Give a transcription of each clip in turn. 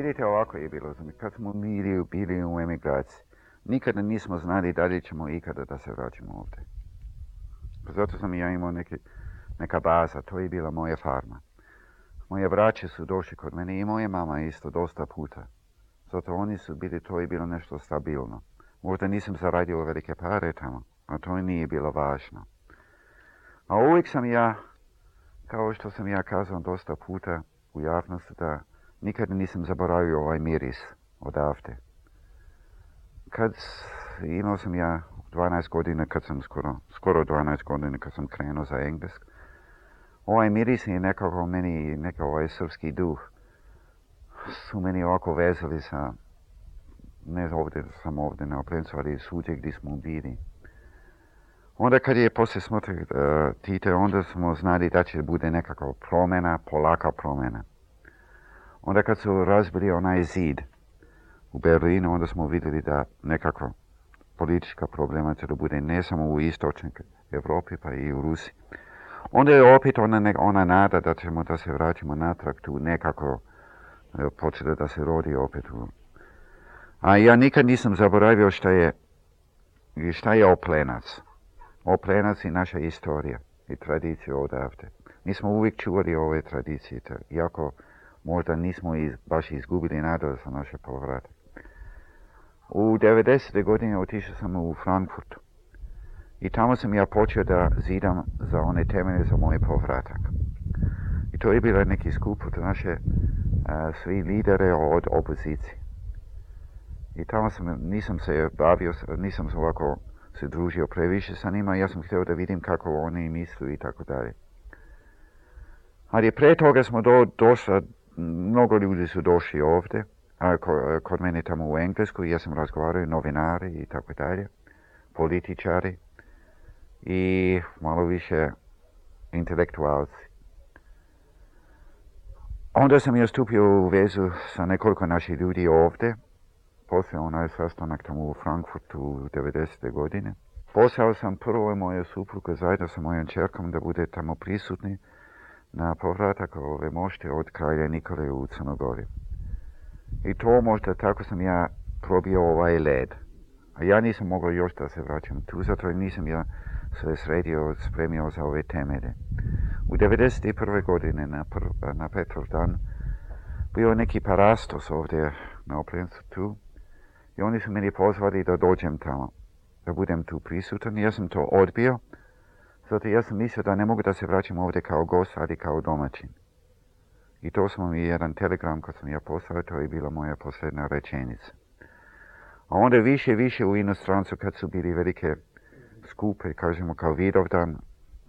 Vidite, ovako je bilo. Kad smo bili u emigraciji, nikada nismo znali da li ćemo ikada da se vraćamo ovdje. Zato sam ja imao neka baza, to je bila moja farma. Moje braće su došli kod mene i moja mama isto dosta puta. Zato oni su bili, to je bilo nešto stabilno. Možda nisam zaradio velike pare tamo, a to nije bilo važno. A uvijek sam ja, kao što sam ja kazao dosta puta u javnosti, da nikada nisam zaboravio ovaj miris odavde. Imao sam ja 12 godina, kad sam skoro 12 godina kad sam krenuo za Englesk. Ovaj miris je nekako meni, ovaj srpski duh, su meni ovako vezali sa, ne sam ovdje na Oplencu, ali svugdje gdje smo bili. Onda kad je poslije smrti Tite, onda smo znali da će bude nekako promjena, polaka promjena. Onda kad su razbili onaj zid u Berlinu, onda smo vidjeli da nekako politička problema će da bude ne samo u istočnoj Europi, pa i u Rusiji. Onda je opet ona nada da ćemo da se vraćamo natrag tu nekako počeli da se rodi opet. A ja nikad nisam zaboravio šta je Oplenac. Oplenac je naša istorija i tradicija odavde. Mi smo uvijek čuvali ove tradicije, iako možda nismo baš izgubili nadu za naše povratak. U 90. godine otišao sam u Frankfurt i tamo sam ja počeo da zidam za one temelje za moj povratak. I to je bilo neki skup od naše svi lidere od opozicije. I tamo nisam se bavio, nisam se ovako se družio previše sa njima, ja sam htio da vidim kako oni misle i tako dalje. Ali prije toga smo došli, mnogo ljudi su došli ovdje, kod mene tamo u Englesku, ja sam razgovarao, novinari i tako dalje, političari i malo više intelektualci. Onda sam ja stupio u vezu sa nekoliko naših ljudi ovdje, poslije onaj sastanak tamo u Frankfurtu u 90. godine. Poslao sam prvo moju suprugu zajedno sa mojom čerkom da bude tamo prisutni na povratak ove mošte od kralja Nikole u Crnogori. I to možda tako sam ja probio ovaj led. A ja nisam mogao još da se vraćam tu, zato nisam ja se spremio za ove temelje. U 91. godine na Petrov dan bio neki parastos ovdje na Oplencu tu i oni su meni pozvali da dođem tamo, da budem tu prisutan. Ja sam to odbio, zato ja sam mislio da ne mogu da se vraćam ovdje kao gost, ali kao domaćin. I to sam mi jedan telegram kad sam ja poslao, to je bila moja posljedna rečenica. A onda više u inostrancu kad su bili velike skupe, kažemo kao Vidovdan,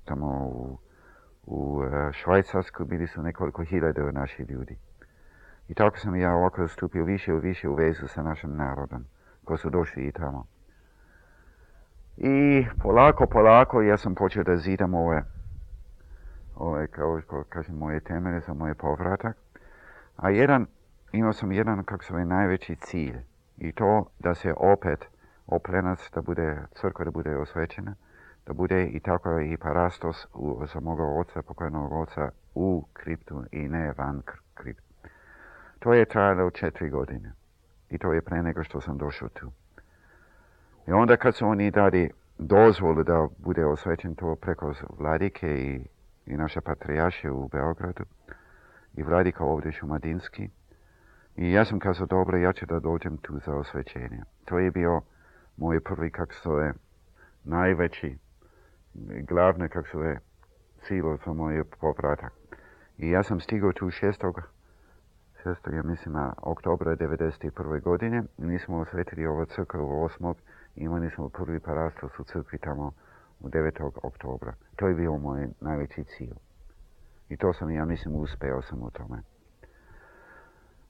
tamo u Švajcarsku bili su nekoliko hiljada naših ljudi. I tako sam ja ovako stupio više u vezu sa našim narodom, koji su došli i tamo. I polako ja sam počeo da zidam ove kao kažem, moje temelje za moj povratak. A imao sam jedan, kako se zove, najveći cilj. I to da se opet Oplenac, da bude crkva, da bude osvećena, da bude i tako i parastos za moga oca, pokojnog oca, u kriptu i ne van kriptu. To je trajalo 4 godine. I to je pre nego što sam došao tu. I onda kad su oni dali dozvolu da bude osvećen to preko vladike i naše patrijarše u Beogradu i vladika ovdje Šumadinski. I ja sam kazao, dobro, ja ću da dođem tu za osvećenje. To je bio moj prvi, kako se zove, najveći, glavni, kako se zove, cilj za moj povratak. I ja sam stigao tu 6. ja mislim, oktobra 1991. godine. Mi smo osvetili ovo crkvu 8. i imali smo prvi parastos u crkvi tamo u 9. oktobra. To je bio moj najveći cilj. I to sam, ja mislim, uspeo sam u tome.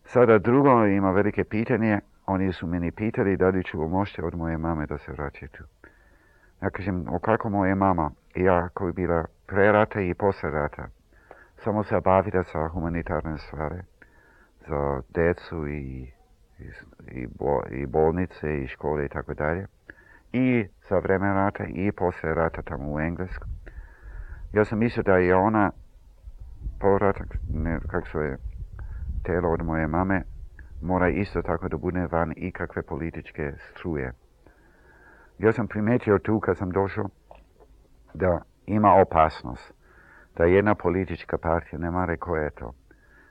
Sada drugo ima velike pitanje. Oni su meni pitali da li ću moći od moje mame da se vraća tu. Ja kažem, kako moja mama, ja koja je bila pre rata i posle rata, samo se bavila sa humanitarne stvari za djecu i bolnice i škole i tako dalje. I za vreme rata i posle rata tamo u Englesku. Ja sam mislio da je ona povratak, kako se je, telo od moje mame, mora isto tako da bude van ikakve političke struje. Ja sam primetio tu kad sam došao da ima opasnost da jedna politička partija, ne mare koja je to,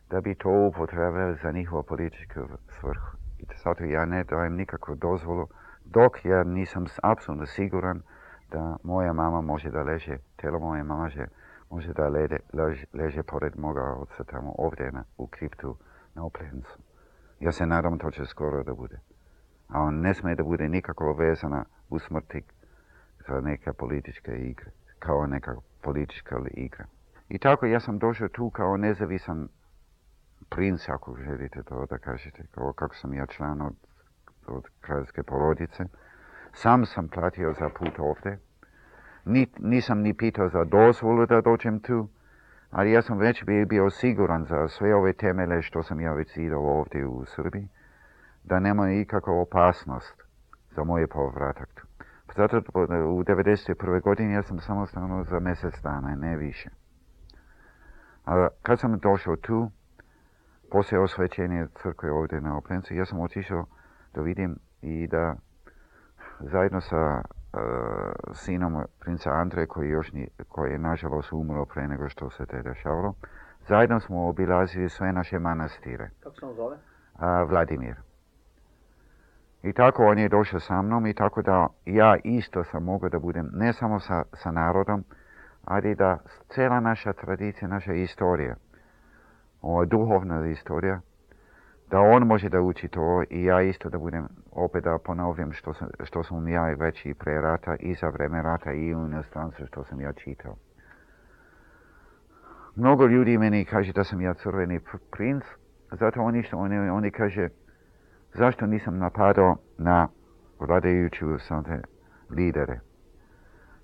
da bi to upotrebili za njihovu političku svrhu. I zato ja ne dajem nikakvu dozvolu dok ja nisam apsolutno siguran da moja mama može da leže, telo moje mama može da leže pored moga oca tamo ovdje u kriptu na Oplencu. Ja se nadam to će skoro da bude. A on ne smije da bude nikako vezana u smrti za neke političke igre, kao neka politička igra. I tako ja sam došao tu kao nezavisan princ, ako želite to da kažete, kao kako sam ja član od kraljevske porodice. Sam sam platio za put ovdje. Nisam ni pitao za dozvolu da dođem tu, ali ja sam već bio siguran za sve ove temelje što sam ja već idao ovdje u Srbiji, da nema ikakva opasnost za moj povratak tu. Zato u 1991. godini ja sam samostalno za mjesec dana, ne više. A kad sam došao tu, poslije osvećenja crkve ovdje na Oplencu, ja sam otišao da vidim i da zajedno sa sinom princa Andreja, koji je nažalost umro pre nego što se te dešavalo, zajedno smo obilazili sve naše manastire. Kako se on zove? Vladimir. I tako on je došao sa mnom i tako da ja isto sam mogao da budem ne samo sa narodom, ali da cijela naša tradicija, naša istorija, ova duhovna istorija, da on može da uči to i ja isto da budem, opet da ponovim što sam ja već i pre rata i za vreme rata i u inostranstvu što sam ja čitao. Mnogo ljudi meni kaže da sam ja crveni princ, zato oni kaže zašto nisam napadao na vladajuću lidere.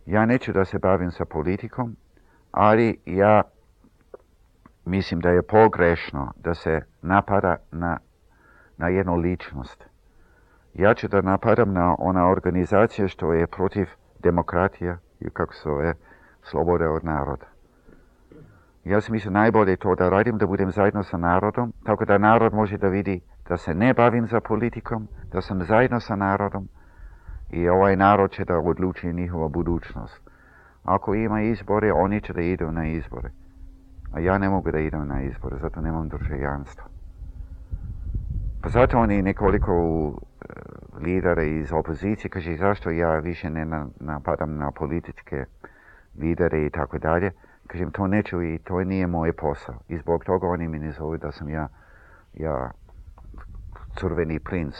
Ja neću da se bavim sa politikom, ali ja mislim da je pogrešno da se napada na jednu ličnost. Ja ću da napadam na ona organizacija što je protiv demokratije i kako se zove, slobode od naroda. Ja sam mislio najbolje to da radim, da budem zajedno sa narodom, tako da narod može da vidi da se ne bavim za politikom, da sam zajedno sa narodom i ovaj narod će da odluči njihova budućnost. Ako ima izbore, oni će da idu na izbore. A ja ne mogu da idem na izbore, zato nemam državljanstva. Pa zato oni nekoliko lidera iz opozicije kaže zašto ja više ne napadam na političke lidere i tako dalje. Kažem, to neću i to nije moj posao. I zbog toga oni mi ne zovu da sam ja crveni princ.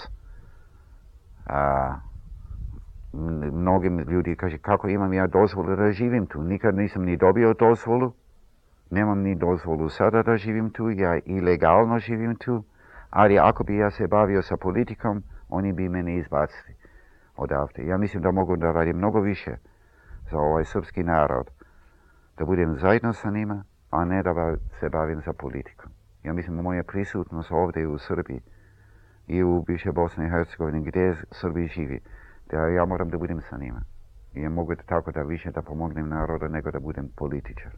Mnogim ljudi kaže kako imam ja dozvolu da živim tu. Nikad nisam ni dobio dozvolu. Nemam ni dozvolu sada da živim tu. Ja ilegalno živim tu. Ali ako bi ja se bavio sa politikom, oni bi mene izbacili odavde. Ja mislim da mogu da radim mnogo više za ovaj srpski narod. Da budem zajedno sa njima, a ne da se bavim za politikom. Ja mislim da moja prisutnost ovdje u Srbiji i u bivše Bosne i Hercegovine gdje Srbi živi, da ja moram da budem sa njima. I ja mogu tako da više da pomognem narodu nego da budem političar.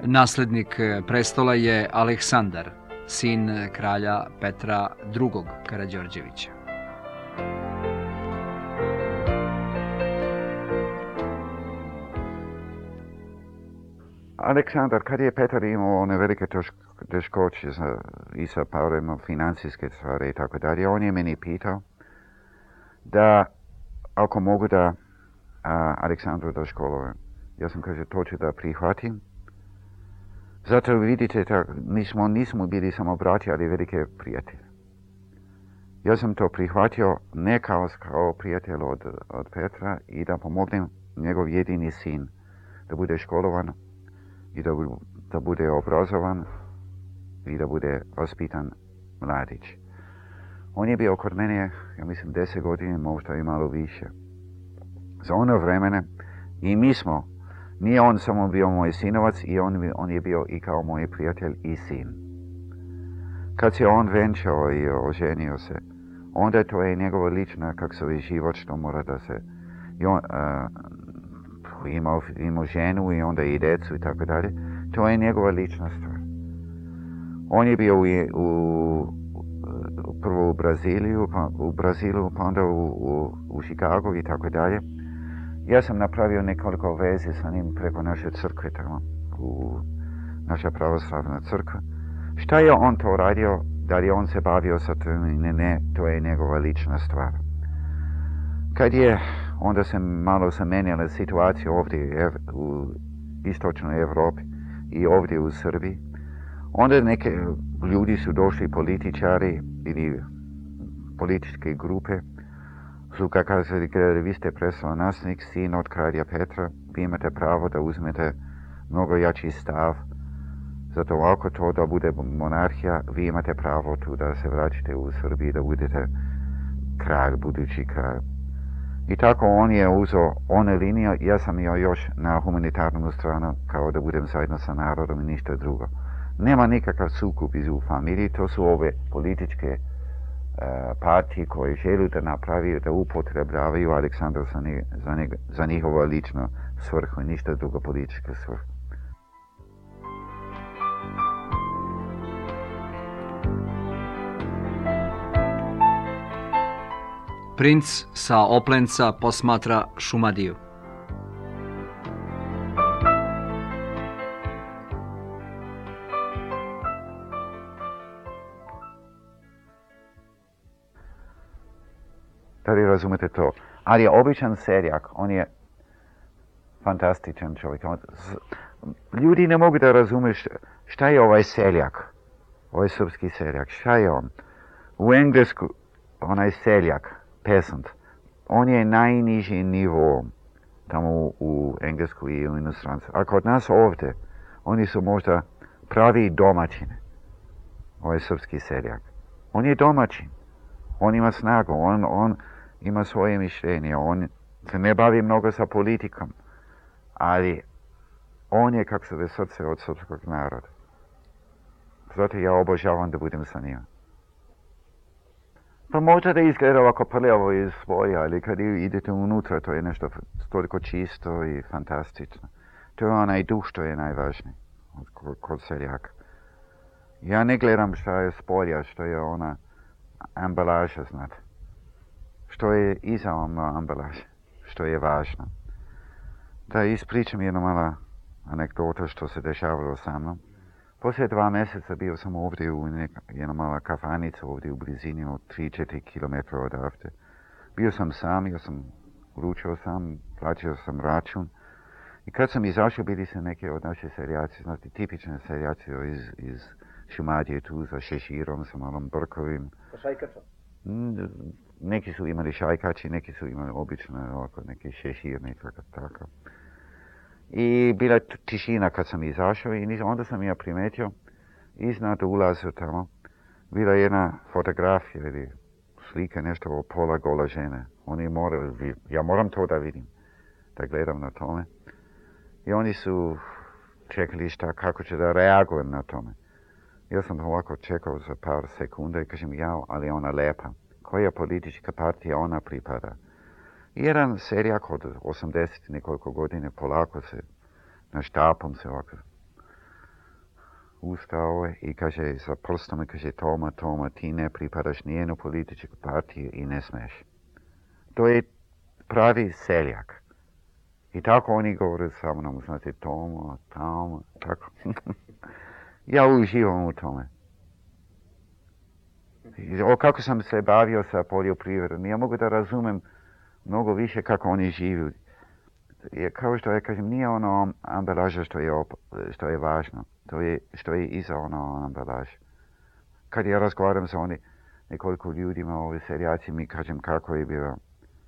Naslednik prestola je Aleksandar, sin kralja Petra II. Karađorđevića. Aleksandar, kad je Petar imao one velike teškoće i sa parima financijske stvari i tako dalje, on je meni pitao da ako mogu da Aleksandru da školujem. Ja sam kaže to ću da prihvatim. Zato vidite, nismo bili samo braći, ali velike prijatelje. Ja sam to prihvatio ne kao prijatelj od Petra i da pomognem njegov jedini sin da bude školovan i da bude obrazovan i da bude vaspitan mladić. On je bio kod mene, ja mislim, 10 godina, možda i malo više. Za ono vremene i mi smo, nije on samo bio moj sinovac i on je bio i kao moj prijatelj i sin. kad se on venčao i oženio se, onda to je njegova lična, kak se zove, život što mora da se... I on, imao ženu i onda i djecu i tako dalje. To je njegova lična stvar. On je bio prvo u Brazilu, pa onda u Chicagu i tako dalje. Ja sam napravio nekoliko veze sa njim preko naše crkve tamo, naša pravoslavna crkva. Šta je on to radio? Da li on se bavio sa tim? Ne, to je njegova lična stvar. Kad je, onda se malo zamenjala situacija ovdje u istočnoj Europi i ovdje u Srbiji. Onda neke ljudi su došli, političari ili političke grupe, su kazali, vi ste prestolonaslednik, sin od kralja Petra, vi imate pravo da uzmete mnogo jači stav. Zato ako to da bude monarhija, vi imate pravo tu da se vraćate u Srbiji, da budete kralj, budući kralj. I tako on je uzeo one linije, ja sam još na humanitarnu stranu, kao da budem zajedno sa narodom i ništa drugo. Nema nikakav sukob u familiji, to su ove političke partije koje žele da napravi, da upotrebljavaju Aleksandra za njihovo lično svrhu i ništa drugo političke svrhu. Princ sa Oplenca posmatra Šumadiju. Da li razumete to? Ali je običan seljak, on je fantastičan čovjek. Ljudi ne mogu da razumiju šta je ovaj seljak, ovaj srpski seljak, šta je on? U Englesku, onaj seljak, peasant, on je najniži nivo tamo u Englesku i u inostranstvu. A kod nas ovdje, oni su možda pravi domaćine, ovaj srpski seljak. On je domaćin, on ima snagu, on ima svoje mišljenje, on se ne bavi mnogo sa politikom, ali on je, kako se ve, srce od srpskog naroda. Zato ja obožavam da budem sa njima. Pa možda da izgleda ovako prljavo iz svoje, ali kad idete unutra, to je nešto toliko čisto i fantastično. To je onaj duh što je najvažniji kod seljaka. Ja ne gledam šta je spolja, što je ona ambalaža, znate. Što je iza ona ambalaža, što je važno. Da ispričam jednu mala anegdota što se dešavalo sa mnom. Poslije 2 mjeseca bio sam ovdje u jedna mala kafanica ovdje u blizini od 3-4 km odavde. Bio sam sam, ja sam ručao sam, plaćao sam račun. I kad sam izašao, bili se neke od naše seljaci, znate, tipične seljaci iz Šumadije tu sa šeširom, sa malom brkovim. Sa šajkačom? Neki su imali šajkači, neki su imali obično ovako, neki šešir, nekako tako. I bila tišina kad sam izašao i onda sam ja primetio iznad ulaza tamo bila jedna fotografija ili slika, nešto o pola gola žene. Oni moraju, ja moram to da vidim, da gledam na tome. I oni su čekali kako će da reagujem na tome. Ja sam ovako čekao za par sekunda i kažem ja, ali ona lepa. Koja politička partija ona pripada? Jedan seljak od 80 nekoliko godine polako se, na štapom se ovako ustao i kaže sa prstom, kaže Toma, ti ne pripadaš nijednu političku partiju i ne smeš. To je pravi seljak. I tako oni govore sa mnom, znate, Toma, tako. Ja uživam u tome. Kako sam se bavio sa poljoprivredom, ja mogu da razumem mnogo više kako oni žive. Kao što ja kažem, nije ono ambalaža što je važno, to je što je iza ono ambalaža. Kad ja razgovaram sa nekoliko ljudima, ovi seljaci, mi kažem kako je bilo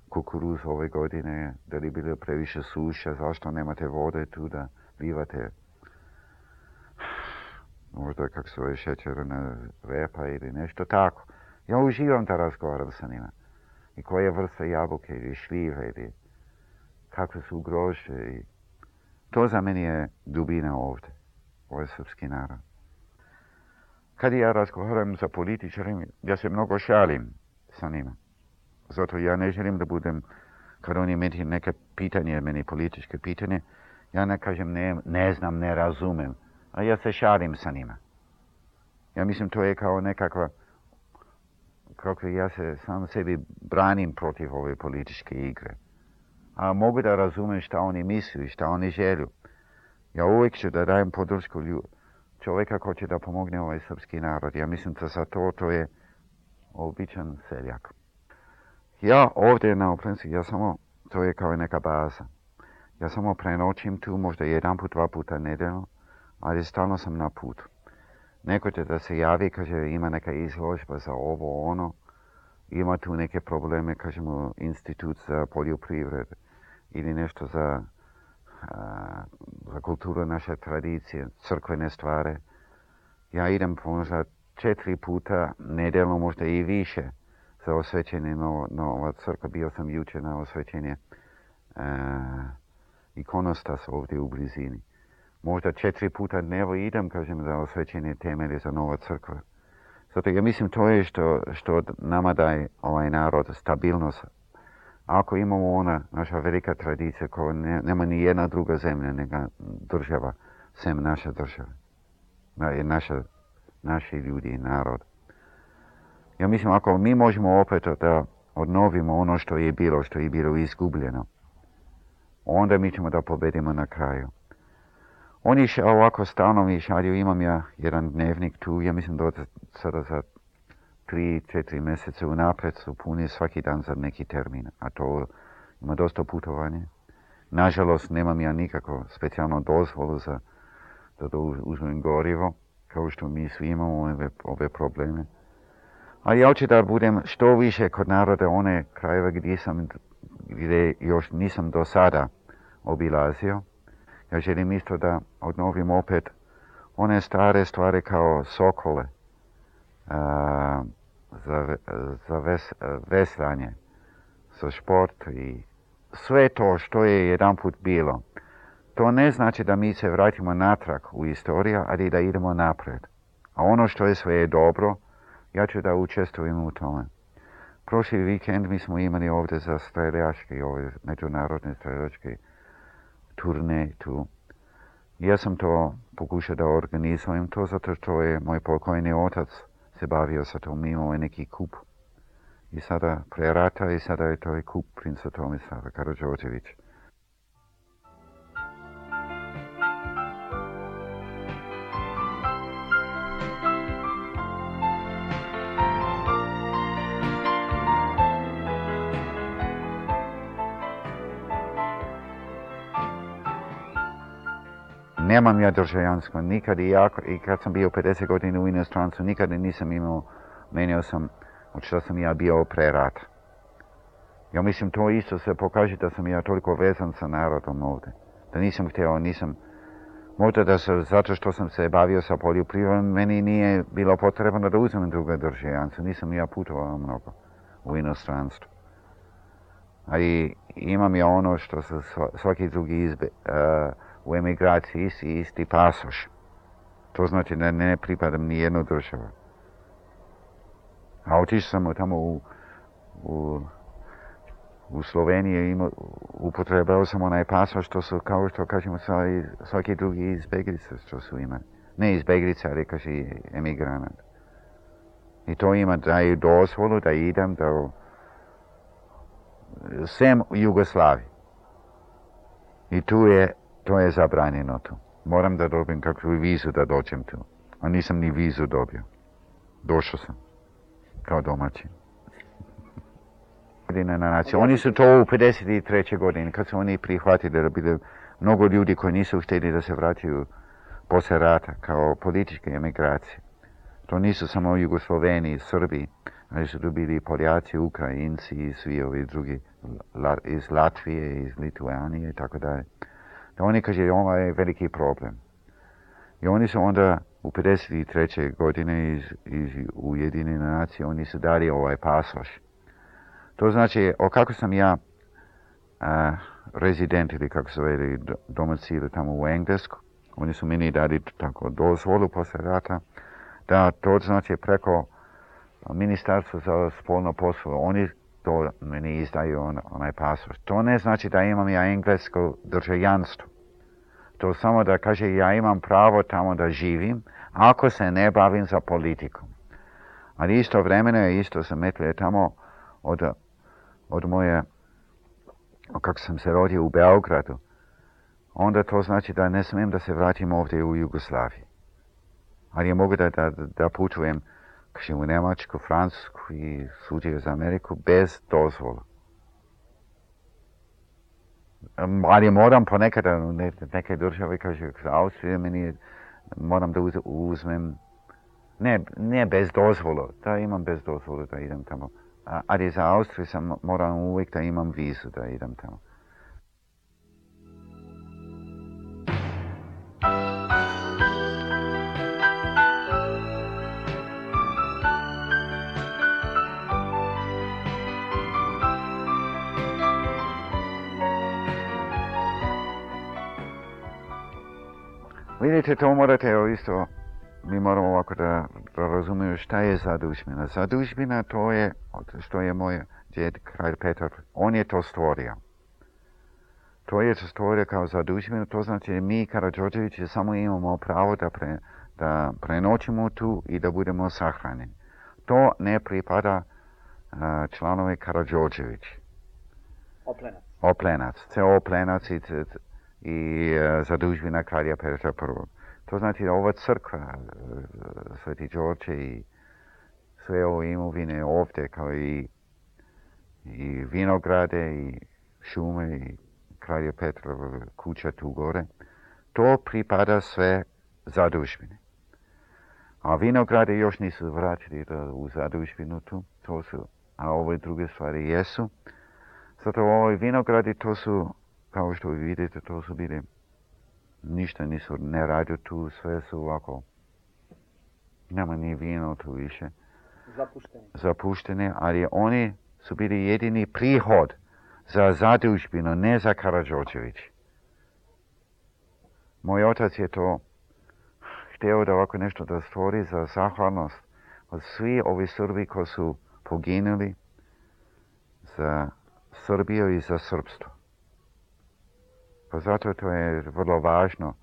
kukuruz ove godine, da li je bilo previše suša, zašto nemate vode tu da bivate možda kako se zove šećerna repa ili nešto tako. Ja uživam da razgovaram sa njima. I koja vrsta jabuke ili šljive ili kakve su grožđe. I to za meni je dubina ovdje. Ovo je srpski narod. kad ja razgovaram sa političarima, ja se mnogo šalim sa njima. Zato ja ne želim da budem, kad oni imaju neke pitanje, meni političke pitanje, ja ne kažem ne znam, ne razumem, a ja se šalim sa njima. Ja mislim to je kao nekakva, kako ja se sam sebi branim protiv ove političke igre. A mogu da razumem šta oni misle i šta oni želju. Ja uvijek ću da dajem podršku čovjeka ko će da pomogne ovaj srpski narod. Ja mislim da za to je običan seljak. Ja ovdje na Oplenci, to je kao neka baza. Ja samo prenoćim tu, možda jedan put, 2 puta nedeljno, ali stalno sam na putu. Neko će da se javi, kaže ima neka izložba za ovo, ono, ima tu neke probleme, kažemo, institut za poljoprivredu ili nešto za kulturu naše tradicije, crkvene stvari. Ja idem možda 4 puta nedeljno, možda i više, za osvećenje nova crkva. Bio sam jučer na osvećenje ikonostas ovdje u blizini. Možda 4 puta dnevno idem, kažem, za osvećenje temelje za nova crkva. Zato ja mislim to je što nama daje ovaj narod, stabilnost. Ako imamo ona naša velika tradicija koja nema ni jedna druga zemlja nego država, sem naša država. Naši ljudi i narod. Ja mislim ako mi možemo opet da odnovimo ono što je bilo izgubljeno, onda mi ćemo da pobedimo na kraju. Oni ovako stalno mi šalju, imam ja jedan dnevnik tu, ja mislim da sada za 3-4 mjeseca unaprijed su puni svaki dan za neki termin, a to ima dosta putovanje. Nažalost, nemam ja nikako specijalno dozvolu da uzmem gorivo, kao što mi svi imamo ove probleme. Ali ja hoću da budem što više kod naroda one krajeve gdje još nisam do sada obilazio. Ja želim isto da odnovim opet one stare stvari kao Sokole, za veslanje, za šport i sve to što je jedan put bilo. To ne znači da mi se vratimo natrag u istoriju, ali da idemo naprijed. A ono što je sve dobro, ja ću da učestvujem u tome. Prošli vikend mi smo imali ovdje za streljačke, ove međunarodne streljačke turne tu. Ja sam to pokušao da organizujem to zato što je moj pokojni otac se bavio sa tom, imao je neki kup. I sada pre rata i sada je to i kup princa Tomislava Karađorđevića. Nemam ja državljanstvo nikad i kad sam bio 50 godina u inostranstvu, nikad nisam menio sam od što sam ja bio pre rata. Ja mislim to isto se pokaže da sam ja toliko vezan sa narodom ovdje. Da nisam htio, možda zato što sam se bavio sa poljoprivredom, meni nije bilo potrebno da uzmem druga državljanstva. Nisam ja putovao mnogo u inostranstvu. Ali imam ja ono što se svaki drugi u emigraciji isti pasoš. To znači da ne pripadam ni jednu državu. A otišao sam tamo u Sloveniji, upotrebao sam onaj pasoš, što su, kao što kažemo, svaki drugi izbjeglice što su imali. Ne izbjeglice, ali kaže emigranat. I to daju dozvolu da idem sem u Jugoslaviji. I to je zabranjeno tu. Moram da dobijem kakvu vizu da dođem tu. A nisam ni vizu dobio. Došao sam. Kao domaćin. Oni su to u 53. godine, kad su oni prihvatili da bilo mnogo ljudi koji nisu htjeli da se vratiju poslije rata kao političke emigracije. To nisu samo Jugosloveni, Srbi, ali su tu bili Poljaci, Ukrajinci i svi ovi drugi iz Latvije, iz Lituanije i tako dalje. Da oni kaže, ovo je veliki problem. I oni su onda u 53. godine iz Ujedinjene nacije, oni su dali ovaj pasoš. To znači, kako sam ja rezident ili kako se veli domicil tamo u Englesku, oni su meni dali tako dozvolu poslije rata Da, to znači preko ministarstva za spolno poslove. Oni to meni izdaju onaj pasoš. To ne znači da imam ja englesko državljanstvo. To samo da kaže ja imam pravo tamo da živim, ako se ne bavim za politikom. Ali istovremeno je isto zametljuje tamo od moje, kako sam se rodio u Beogradu, onda to znači da ne smijem da se vratim ovdje u Jugoslaviji. Ali ja mogu da putujem u Njemačku, Francusku i svugdje za Ameriku bez dozvola. Ali moram ponekad neke države, kaže, za Austriju meni moram da uzmem, ne bez dozvola, da imam bez dozvola da idem tamo. Ali za Austriju sam moram uvijek da imam vizu da idem tamo. Vidite, to morate isto, mi moramo ovako da razumiju šta je zadužbina. Zadužbina to je, što je moj djed, kralj Petar, on je to stvorio. To je to stvorio kao zadužbina, to znači mi, Karađorđevići, samo imamo pravo da prenoćimo tu i da budemo sahranjeni. To ne pripada članove Karađorđević. Oplenac. Oplenac, ceo Oplenac i zadužbina kralja Petra I. To znači da ova crkva, Sveti Đorđe i sve ove imovine ovdje, kao i vinograde i šume i kralja Petra kuća tu gore, to pripada sve zadužbine. A vinograde još nisu vratili u zadužbinu tu, a ove druge stvari jesu. Zato ove vinogradi to su, kao što vidite, to su bili, ništa nisu, ne radio tu, sve su ovako, nema ni vino tu više. Zapuštene, ali oni su bili jedini prihod za zadužbinu, ne za Karađorđević. Moj otac je to htio da ovako nešto da stvori za zahvalnost od svi ovi Srbi koji su poginuli za Srbiju i za Srpstvo. Pa zato to je vrlo važno